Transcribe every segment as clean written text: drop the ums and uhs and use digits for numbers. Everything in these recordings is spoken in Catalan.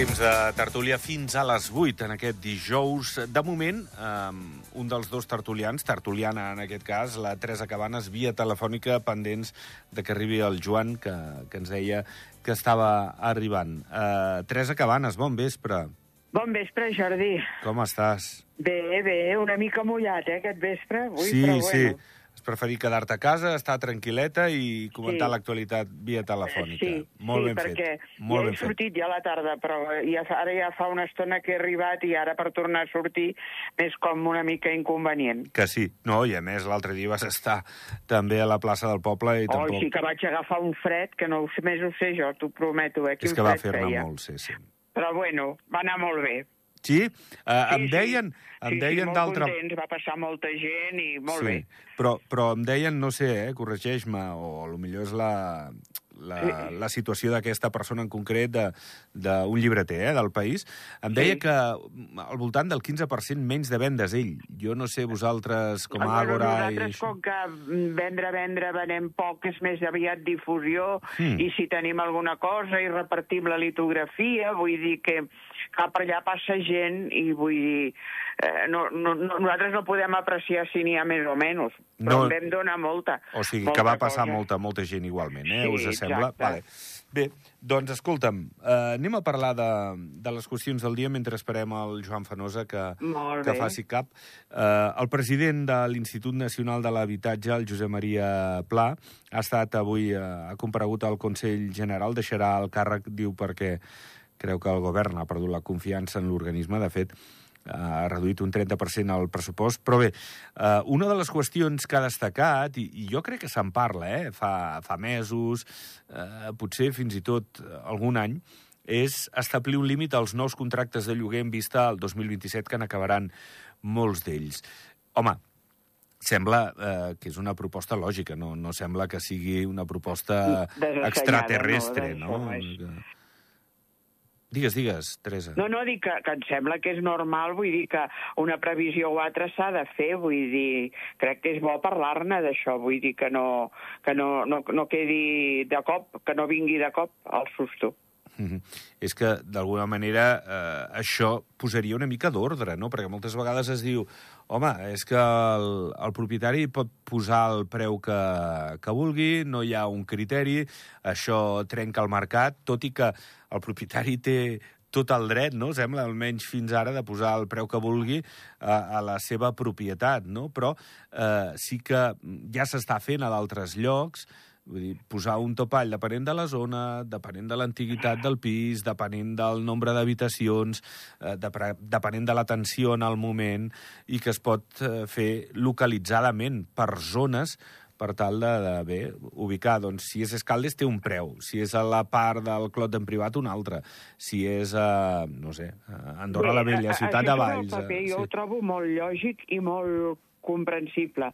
temps de tertúlia fins a les 8 en aquest dijous. De moment, un dels dos tertulians, tertuliana en aquest cas, la Teresa Cabanes, via telefònica, pendents de que arribi el Joan, que ens deia que estava arribant. Teresa Cabanes, bon vespre. Bon vespre, Jordi. Com estàs? Bé, una mica mullat, aquest vespre. Avui, sí, però bueno. Sí. Has preferit quedar-te a casa, estar tranquil·leta i comentar l'actualitat via telefònica. Molt ben fet. Perquè ja he sortit ja a la tarda, però ara ja fa una estona que he arribat i ara per tornar a sortir és com una mica inconvenient. Que sí. No, i a més l'altre dia vas estar també a la plaça del poble i tampoc... Sí que vaig agafar un fred que no més ho sé jo, t'ho prometo. És que va fer-ne molt, sí. Però bueno, va anar molt bé. Sí? Em deien molt contents, va passar molta gent i molt bé. Però em deien, no sé, corregeix-me, o potser és la situació d'aquesta persona en concret, d'un llibreter del País, em deia que al voltant del 15% menys de vendes ell. Jo no sé, vosaltres, com a Àgora... Nosaltres, com que vendre venem poc, és més aviat difusió, i si tenim alguna cosa i repartim la litografia, vull dir que per allà passa gent i vull dir... nosaltres no podem apreciar si n'hi ha més o menys, però en vam donar molta. O sigui, que va passar molta gent igualment, us sembla? Vale. Bé, doncs escolta'm, anem a parlar de les qüestions del dia mentre esperem el Joan Fenosa que faci cap. El president de l'Institut Nacional de l'Habitatge, el Josep Maria Pla, ha estat avui, ha comparegut al Consell General, deixarà el càrrec, diu, perquè creu que el govern ha perdut la confiança en l'organisme. De fet, ha reduït un 30% el pressupost. Però bé, una de les qüestions que ha destacat, i jo crec que se'n parla, fa mesos, potser fins i tot algun any, és establir un límit als nous contractes de lloguer en vista al 2027, que n'acabaran molts d'ells. Home, sembla que és una proposta lògica, no sembla que sigui una proposta extraterrestre, no? Digues, Teresa. No, dic que em sembla que és normal, vull dir que una previsió o altra s'ha de fer, vull dir, crec que és bo parlar-ne d'això, vull dir que no quedi de cop, que no vingui de cop el susto. És que, d'alguna manera, això posaria una mica d'ordre, no? Perquè moltes vegades es diu, home, és que el propietari pot posar el preu que vulgui, no hi ha un criteri, això trenca el mercat, tot i que el propietari té tot el dret, no? Sembla, almenys fins ara, de posar el preu que vulgui a la seva propietat, no? Però sí que ja s'està fent a d'altres llocs. Vull dir, posar un topall depenent de la zona, depenent de l'antiguitat del pis, depenent del nombre d'habitacions, depenent de l'atenció en el moment, i que es pot fer localitzadament per zones per tal de ubicar. Doncs si és Escaldes té un preu, si és a la part del Clot d'en Privat un altre, si és no sé, Andorra la Vella, Ciutat de Valls... Jo ho trobo molt lògic i molt comprensible,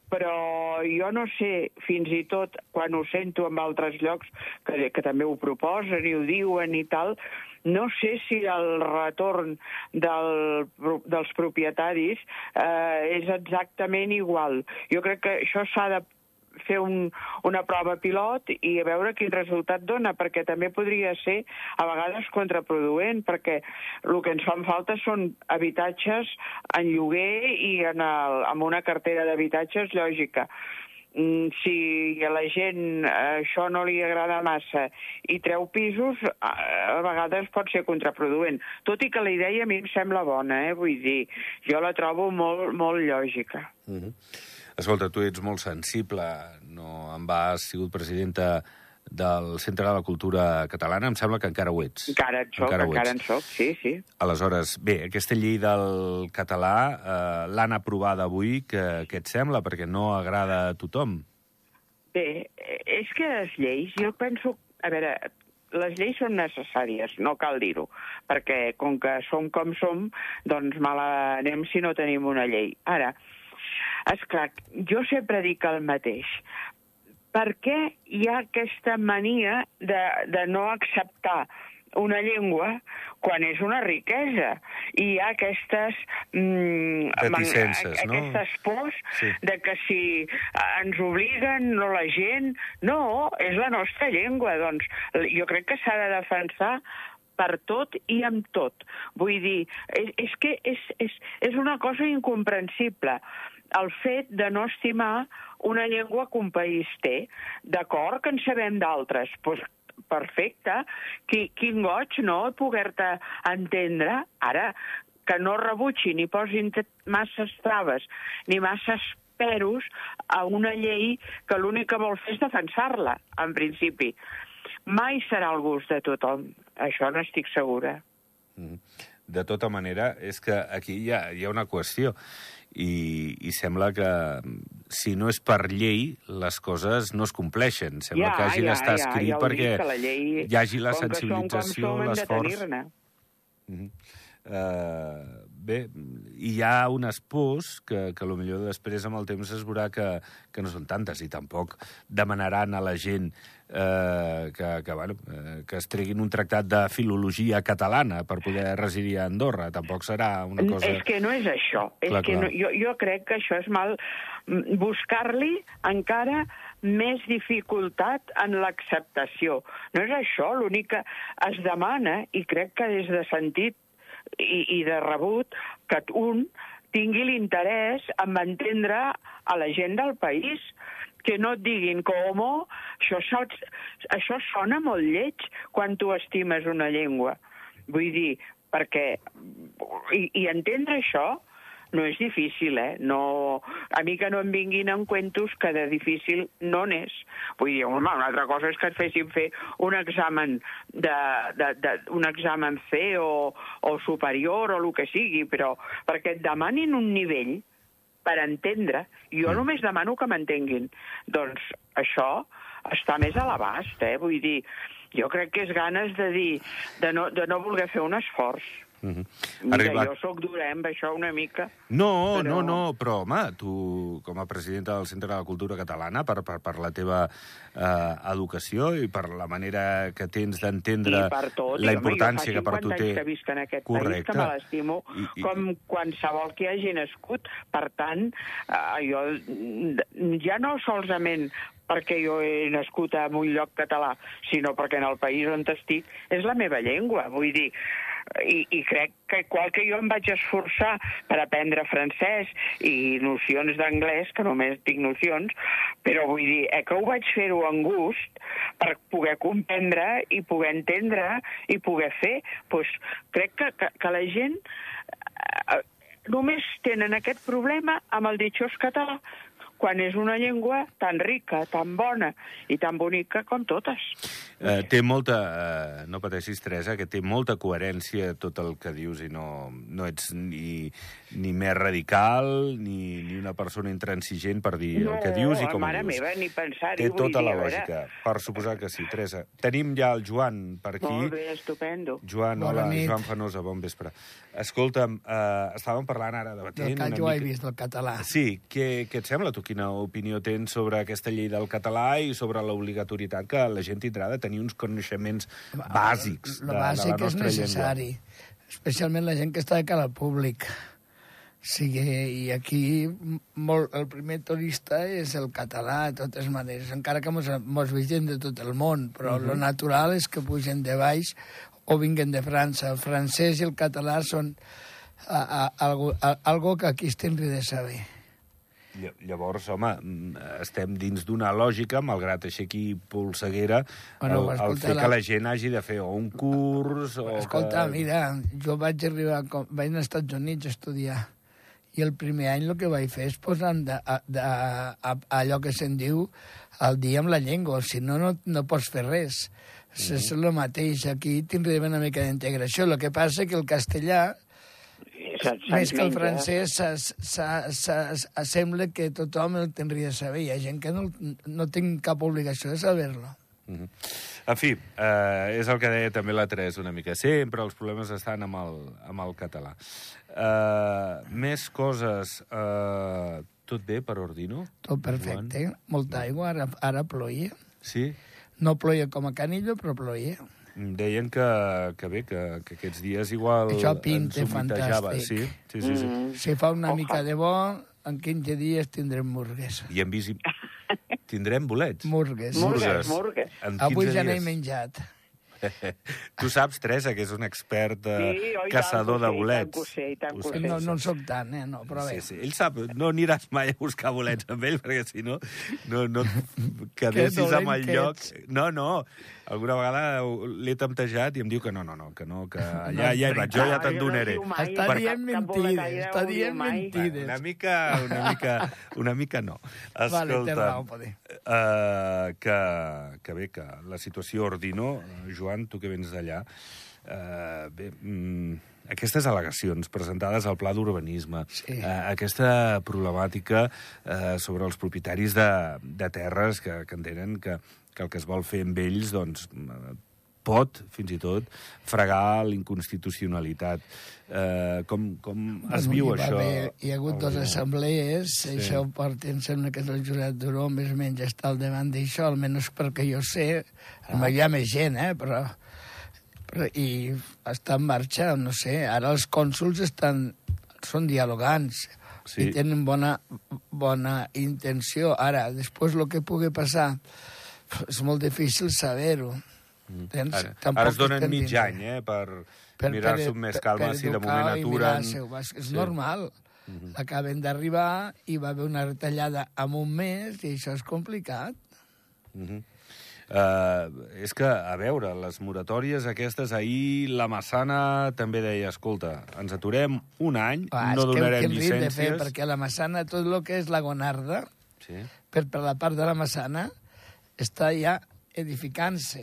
però jo no sé, fins i tot quan ho sento en altres llocs que també ho proposen i ho diuen i tal, no sé si el retorn dels propietaris és exactament igual. Jo crec que això s'ha de fer una prova pilot i a veure quin resultat dona, perquè també podria ser a vegades contraproduent, perquè el que ens fan falta són habitatges en lloguer i amb una cartera d'habitatges lògica. Si a la gent això no li agrada massa i treu pisos, a vegades pot ser contraproduent. Tot i que la idea a mi em sembla bona, vull dir, jo la trobo molt, molt lògica. Escolta, tu ets molt sensible, no en has sigut presidenta del Centre de la Cultura Catalana, em sembla que encara ho ets. Encara en soc, sí. Aleshores, bé, aquesta llei del català l'han aprovada avui, què et sembla? Perquè no agrada a tothom. Bé, és que les lleis, jo penso... A veure, les lleis són necessàries, no cal dir-ho, perquè com que som com som, doncs mal anem si no tenim una llei. Ara, esclar, jo sempre dic el mateix. Per què hi ha aquesta mania de no acceptar una llengua quan és una riquesa? I hi ha aquestes reticences, no? Aquestes pors de que si ens obliguen, no la gent... No, és la nostra llengua. Doncs jo crec que s'ha de defensar per tot i amb tot. Vull dir, és que és una cosa incomprensible el fet de no estimar una llengua que un país té. D'acord que en sabem d'altres, doncs perfecte. Quin goig, no?, poder-te entendre. Ara, que no rebutgi ni posin masses traves ni masses peros a una llei que l'únic que vol fer és defensar-la, en principi. Mai serà el gust de tothom, això n'estic segura. De tota manera, és que aquí hi ha una qüestió i sembla que si no és per llei, les coses no es compleixen. Sembla que hagi d'estar escrit perquè hi hagi la sensibilització, l'esforç. Bé, hi ha unes pors que potser després amb el temps es veurà que no són tantes i tampoc demanaran a la gent que es treguin un tractat de filologia catalana per poder residir a Andorra. Tampoc serà una cosa... És que no és això. Jo crec que això és mal buscar-li encara més dificultat en l'acceptació. No és això, l'únic que es demana, i crec que és de sentit i de rebut, que un tingui l'interès en entendre a la gent del país, que no et diguin com, això sona molt lleig quan tu estimes una llengua. Vull dir, perquè... I entendre això no és difícil, No, a mi que no em vinguin en cuentos que de difícil no n'és. Vull dir, una altra cosa és que et fessin fer un examen un examen C o superior o el que sigui, però perquè et demanin un nivell per entendre, jo només demano que m'entenguin. Doncs això està més a l'abast, Vull dir, jo crec que és ganes de dir, de no voler fer un esforç. Mira, jo sóc dura amb això una mica. No, però home, tu com a presidenta del Centre de la Cultura Catalana, per la teva educació i per la manera que tens d'entendre la importància que per tu té... Jo fa 50 anys que visc en aquest país, que me l'estimo com qualsevol que hagi nascut. Per tant, jo ja no solament perquè jo he nascut en un lloc català, sinó perquè en el país on estic és la meva llengua, vull dir... I crec que igual que jo em vaig esforçar per aprendre francès i nocions d'anglès, que només tinc nocions, però vull dir, que ho vaig fer-ho amb gust per poder comprendre i poder entendre i poder fer, doncs crec que la gent només tenen aquest problema amb el ditxós català, quan és una llengua tan rica, tan bona i tan bonica com totes. Té molta, no pateixis, Teresa, que té molta coherència tot el que dius i no ets ni més radical ni una persona intransigent per dir el que dius i com ho dius. No, mare meva, ni pensar-hi. Té tota la lògica, per suposar que sí. Teresa, tenim ja el Joan per aquí. Molt bé, estupendo. Joan, hola, Joan Fanosa, bon vespre. Escolta'm, estàvem parlant ara, debatent una mica... Jo he vist del català. Sí, què et sembla? Tu quina opinió tens sobre aquesta llei del català i sobre l'obligatorietat que la gent tindrà de tenir uns coneixements bàsics de la nostra llengua? El bàsic és necessari, especialment la gent que està de cara al públic. Sí, i aquí el primer turista és el català, de totes maneres, encara que mos vegem de tot el món, però lo natural és que pugen de baix o vinguen de França. El francès i el català són algo que aquí es tindria de saber. Llavors, home, estem dins d'una lògica, malgrat aixequi polseguera, el fer que la gent hagi de fer un curs... Escolta, mira, jo vaig anar als Estats Units a estudiar i el primer any el que vaig fer és posar allò que se'n diu al dia amb la llengua, si no, no pots fer res. És el mateix, aquí tindrem una mica d'integració. El que passa que el castellà, més que el francès, sembla que tothom el tindria de saber. Hi ha gent que no tinc cap obligació de saber-lo. En fi, és el que deia també la Teresa una mica. Sempre els problemes estan amb el català. Més coses. Tot bé per Ordino? Tot perfecte. Molta aigua. Ara ploia. Sí? No ploia com a Canillo, però ploia. Deien que aquests dies igual això pinta fantàstic. Sí. Si fa una mica de bo, en 15 dies tindrem murgues. I en bici... Tindrem bolets? Murgues. Murgues. Avui ja n'he menjat. Tu saps, Teresa, que és un expert caçador de bolets. I tant que ho sé. No en soc tant, no, però bé. Sí. Ell sap, no aniràs mai a buscar bolets amb ell, perquè si no et quedessis amb el lloc. No, alguna vegada l'he temptejat i em diu que no, que ja hi vaig, jo ja te'n donaré. Està dient mentides. Una mica no. Vale, té raó, poder. Que bé, que la situació ordino, Joan, tu que vens d'allà, aquestes al·legacions presentades al Pla d'Urbanisme, aquesta problemàtica sobre els propietaris de terres que entenen que el que es vol fer amb ells doncs, pot, fins i tot, fregar l'inconstitucionalitat. Com es viu això? Hi ha hagut dues assemblees, això porta, em sembla que és el Josep Duró, més o menys està al davant d'això, almenys perquè jo sé, hi ha més gent, però i està en marxa, no sé, ara els cònsols són dialogants i tenen bona intenció. Ara, després el que pugui passar és molt difícil saber-ho. Ara es donen mig any per mirar-s'ho amb més calma, si de moment aturen. És normal. Acaben d'arribar i va haver una retallada en un mes i això és complicat. És que, a veure, les moratòries aquestes, ahir la Massana també deia, escolta, ens aturem un any, no donarem llicències. Perquè la Massana, tot el que és la Gonarda, per la part de la Massana, està ja edificant-se.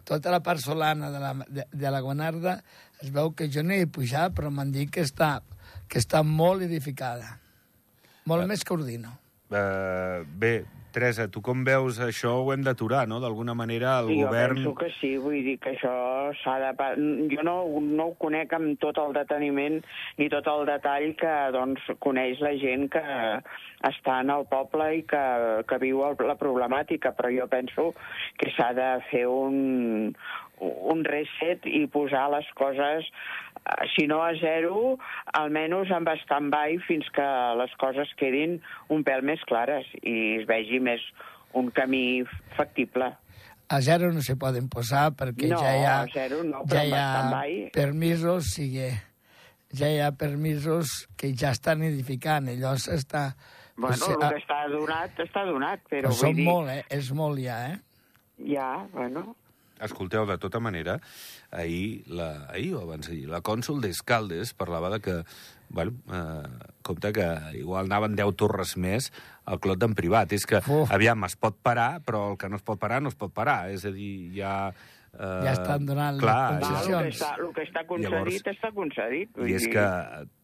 Tota la part solana de la Gonarda es veu que jo no hi he pujat, però m'han dit que està molt edificada. Molt més que Ordino. Bé, Teresa, tu com veus això ho hem d'aturar, no? D'alguna manera el govern... Jo penso que sí, vull dir que això s'ha de... Jo no ho conec amb tot el deteniment ni tot el detall que doncs, coneix la gent que està en el poble i que viu la problemàtica, però jo penso que s'ha de fer un reset i posar les coses, si no a zero, almenys en stand-by fins que les coses quedin un pèl més clares i es vegi més un camí factible. A zero no se poden posar perquè ja hi ha permisos, ja hi ha permisos que ja estan edificant, allò s'està... Bueno, el que està donat, però vull dir... És molt ja, Ja, bueno... Escolteu, de tota manera, ahir o abans d'ahir, la cònsol d'Escaldes parlava de que, compte que igual anaven 10 torres més al Clot d'en Privat. És que, aviam, es pot parar, però el que no es pot parar, no es pot parar. És a dir, ja estan donant les concessions. El que està concedit, està concedit. I és que,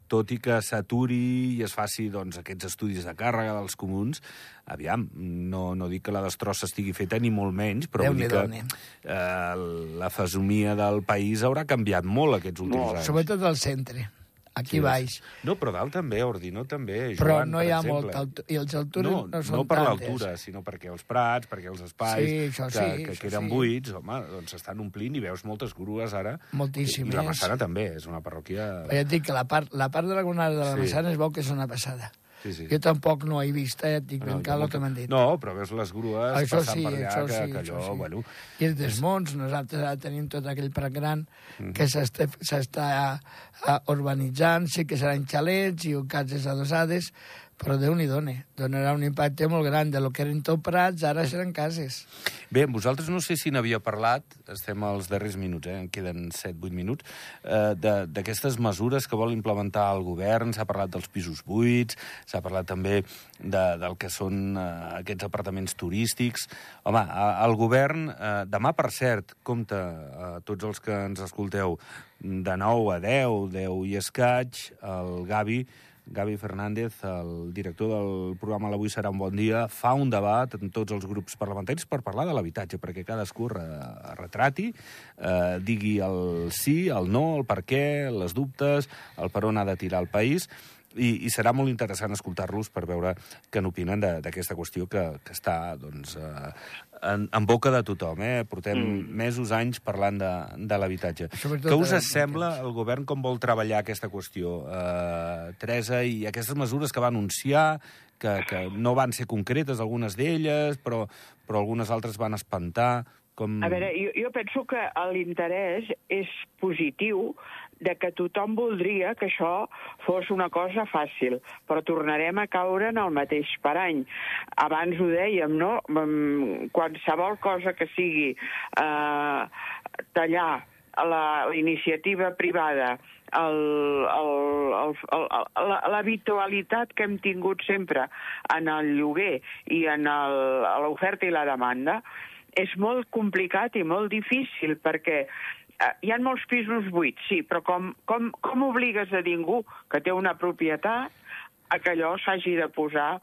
tot i que s'aturi i es faci aquests estudis de càrrega dels comuns, aviam, no dic que la destrossa estigui feta ni molt menys, però vull dir que la fesomia del país haurà canviat molt aquests últims anys. Sobretot al centre. Aquí baix. No, però dalt també, Ordino també, Joan, però no hi ha molta altura, i els altures no són tantes. No per l'altura, sinó perquè els prats, perquè els espais que queden buits, home, doncs s'estan omplint i veus moltes grues ara. Moltíssimes. I la Massana també, és una parròquia... Ja et dic que la part de la Gonada de la Massana es veu que és una passada. Jo tampoc no he vist, et dic ben cal el que m'han dit. No, però veus les grues passant per allà, que allò, bueno... I els desmunts, nosaltres ara tenim tot aquell prat gran que s'està urbanitzant, sí que seran xalets i cases adossades, però Déu-n'hi-do, donarà un impacte molt gran de lo que eren tot prats, ara seran cases. Bé, vosaltres no sé si n'havia parlat, estem als darrers minuts, en queden 7-8 minuts, d'aquestes mesures que vol implementar el govern, s'ha parlat dels pisos buits, s'ha parlat també del que són aquests apartaments turístics. Home, el govern, demà, per cert, compte, tots els que ens escolteu, de 9 a 10 i escaig, el Gavi Fernández, el director del programa L'Avui serà un bon dia, fa un debat amb tots els grups parlamentaris per parlar de l'habitatge, perquè cadascú retrati, digui el sí, el no, el per què, les dubtes, el per on ha de tirar el país, i serà molt interessant escoltar-los per veure què n'opinen d'aquesta qüestió que està en boca de tothom. Portem mesos, anys parlant de l'habitatge. Què us sembla el govern com vol treballar aquesta qüestió, Teresa, i aquestes mesures que va anunciar, que no van ser concretes, algunes d'elles, però algunes altres van espantar? A veure, jo penso que l'interès és positiu, de que tothom voldria que això fos una cosa fàcil, però tornarem a caure en el mateix parany. Abans ho dèiem, no? Qualsevol cosa que sigui tallar la iniciativa privada, l'habitualitat que hem tingut sempre en el lloguer i en l'oferta i la demanda, és molt complicat i molt difícil, perquè hi ha molts pisos buits, sí, però com obligues a ningú que té una propietat a que allò s'hagi de posar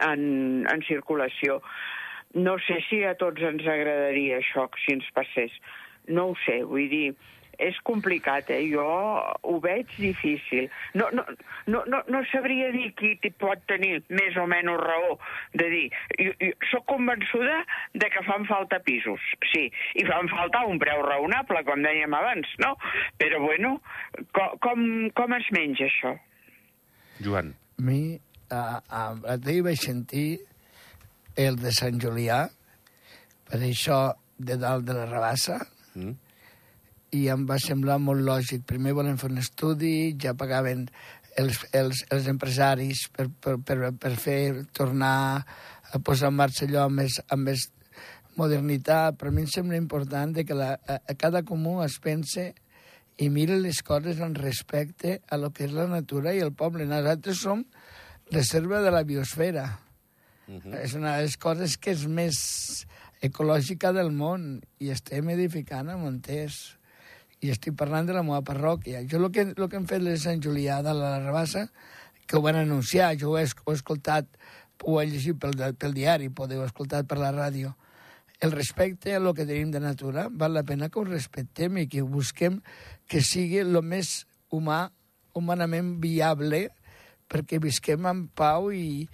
en circulació? No sé si a tots ens agradaria això, si ens passés. No ho sé, vull dir, és complicat, jo ho veig difícil. No sabria dir qui pot tenir més o menys raó de dir. Jo soc convençuda de que fan falta pisos, sí, i fan falta un preu raonable, com dèiem abans, no? Però, bueno, com es menja això? Joan. A mi, l'altre vaig sentir el de Sant Julià, per això de dalt de la Rabassa, i em va semblar molt lògic. Primer volem fer un estudi, ja pagaven els empresaris per fer tornar a posar en marxa allò amb més modernitat, però a mi em sembla important que a cada comú es pense i mire les coses en respecte a lo que és la natura i el poble. Nosaltres som reserva de la biosfera. És una de les coses que és més ecològica del món i estem edificant a Montés. I estic parlant de la meva parròquia. Jo el que hem fet de Sant Julià de la Rabassa, que ho van anunciar, jo ho he escoltat, ho he llegit pel diari, podeu escoltar per la ràdio. El respecte a lo que tenim de natura, val la pena que ho respectem i que ho busquem que sigui el més humanament viable perquè visquem en pau i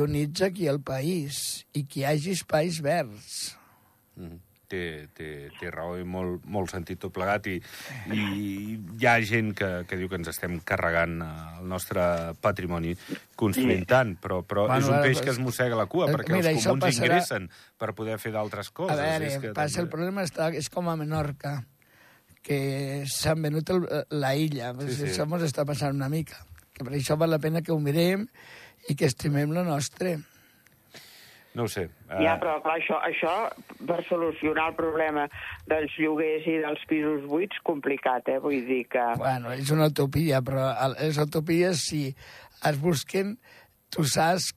units aquí al país i que hi hagi espais verds. Té raó i molt sentit tot plegat i hi ha gent que diu que ens estem carregant el nostre patrimoni construint tant, però és un peix que es mossega la cua perquè els comuns ingressen per poder fer d'altres coses. A veure, el problema és com a Menorca, que s'han venut la illa. Això ens està passant una mica. Que per això val la pena que ho mirem i que estimem lo nostre. No ho sé. Ja, però clar, això per solucionar el problema dels lloguers i dels pisos buits, complicat, vull dir que... Bueno, és una utopia, però les utopies, si es busquen, tu saps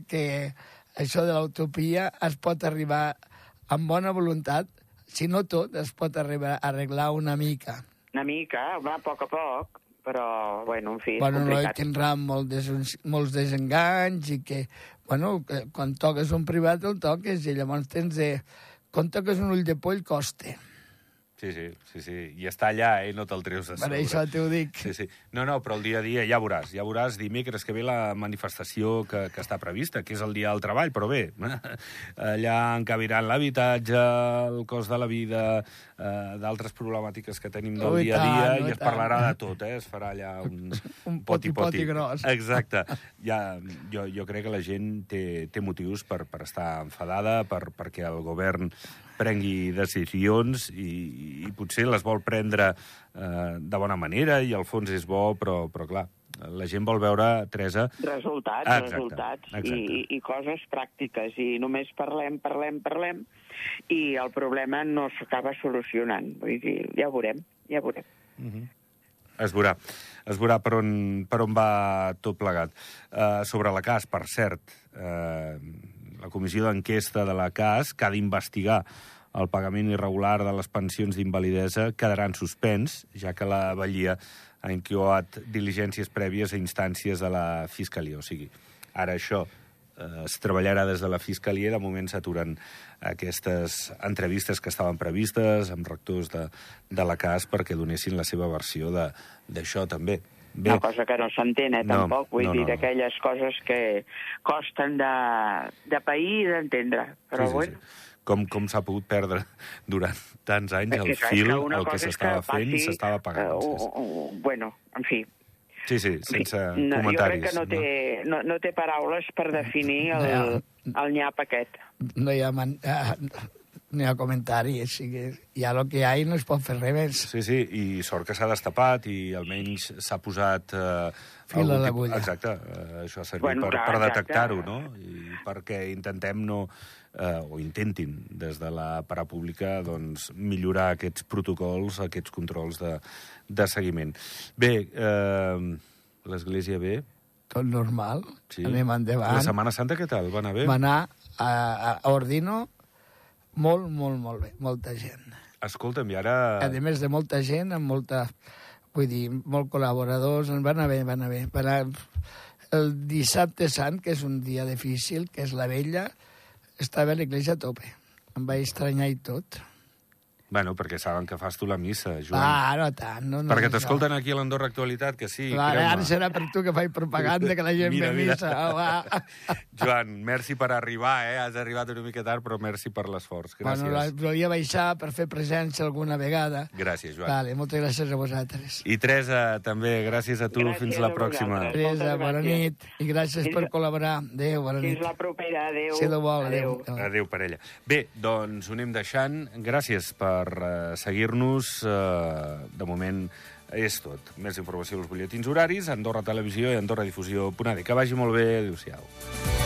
que això de l'utopia es pot arribar amb bona voluntat, si no tot, es pot arribar a arreglar una mica. Una mica, va, a poc, però, bueno, en fi, és complicat. complicat. Tindrà molts desenganys i que, bueno, quan toques un privat el toques i llavors tens de... Quan toques un ull de poll costa. Sí. I està allà, no te'l treus de sobre. Per això t'ho dic. Sí. No, però el dia a dia ja veuràs dimecres que ve la manifestació que està prevista, que és el dia del treball, però bé, allà encabiran l'habitatge, el cost de la vida, d'altres problemàtiques que tenim del dia a dia, i es parlarà de tot, es farà allà un poti gros. Exacte. Jo crec que la gent té motius per estar enfadada, perquè el govern prengui decisions i potser les vol prendre de bona manera i el fons és bo, però clar, la gent vol veure, Teresa... Resultats i coses pràctiques i només parlem i el problema no s'acaba solucionant. Vull dir, ja ho veurem. Es veurà per on va tot plegat. Sobre la CAS, per cert, la comissió d'enquesta de la CAS, que ha d'investigar el pagament irregular de les pensions d'invalidesa, quedarà en suspens, ja que la Batllia ha incoat diligències prèvies a instàncies de la Fiscalia. O sigui, ara això es treballarà des de la Fiscalia i de moment s'aturen aquestes entrevistes que estaven previstes amb rectors de la CAS perquè donessin la seva versió d'això també. Bé. Una cosa que no s'entén, tampoc. Vull dir, d'aquelles coses que costen de pair i d'entendre. Però bueno... Com s'ha pogut perdre durant tants anys el fil, el que s'estava fent i s'estava pagant. Bueno, en fi. Sí, sense comentaris. Jo crec que no té paraules per definir el nyap aquest. No hi ha ni a comentari, així que ja el que hi ha no es pot fer res més. Sí, sí, i sort que s'ha destapat i almenys s'ha posat... Fil a l'agulla. Exacte, això ha servit per detectar-ho, no? I perquè intentem no... o intentin, des de la parapública, doncs, millorar aquests protocols, aquests controls de seguiment. Bé, l'Església bé? Tot normal, Sí. anem endavant. La Setmana Santa què tal? Va anar bé? Va anar a Ordino molt bé, molta gent. Escolta'm, i ara... A més de molta gent, amb molta... Vull dir, molts col·laboradors, va anar bé. Va anar... El dissabte sant, que és un dia difícil, que és la vella, estava a l'església a tope. Em vaig estranyar i tot. Bueno, perquè saben que fas tu la missa, Joan. No tant. No, perquè t'escolten aquí a l'Andorra Actualitat, que sí, Ara serà per tu que faig propaganda, que la gent ve a missa. Joan, merci per arribar, Has arribat una mica tard, però merci per l'esforç. Gràcies. Bueno, volia baixar per fer presència alguna vegada. Gràcies, Joan. Vale, moltes gràcies a vosaltres. I Teresa, també, gràcies a tu. Gràcies fins la a pròxima. vosaltres. Teresa, bona nit. I gràcies per col·laborar. Adéu, bona nit. Fins la propera, adéu. Si lo vol, adéu. Adéu, parella. Bé, doncs ho anem deixant. Gràcies per seguir-nos. De moment és tot. Més informació als butlletins horaris, Andorra Televisió i AndorraDifusió.net. Que vagi molt bé. Adéu-siau.